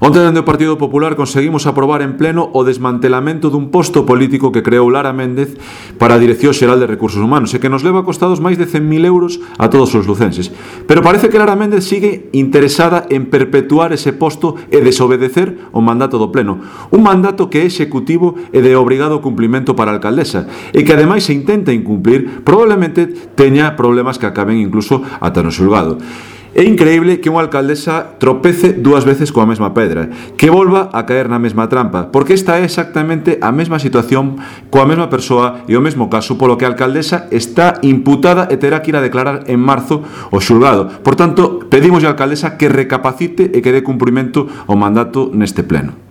Onte, dende o Partido Popular, conseguimos aprobar en pleno o desmantelamento dun posto político que creou Lara Méndez para a Dirección Xeral de Recursos Humanos e que nos leva costados máis de 100.000 euros a todos os lucenses. Pero parece que Lara Méndez sigue interesada en perpetuar ese posto e desobedecer o mandato do pleno. Un mandato que é executivo e de obrigado cumplimento para a alcaldesa e que ademais se intenta incumplir, probablemente teña problemas que acaben incluso ata no xulgado. É increíble que unha alcaldesa tropece dúas veces coa mesma pedra, que volva a caer na mesma trampa, porque esta é exactamente a mesma situación coa mesma persoa e o mesmo caso, polo que a alcaldesa está imputada e terá que ir a declarar en marzo o xulgado. Por tanto, pedimos á alcaldesa que recapacite e que dé cumprimento ao mandato neste pleno.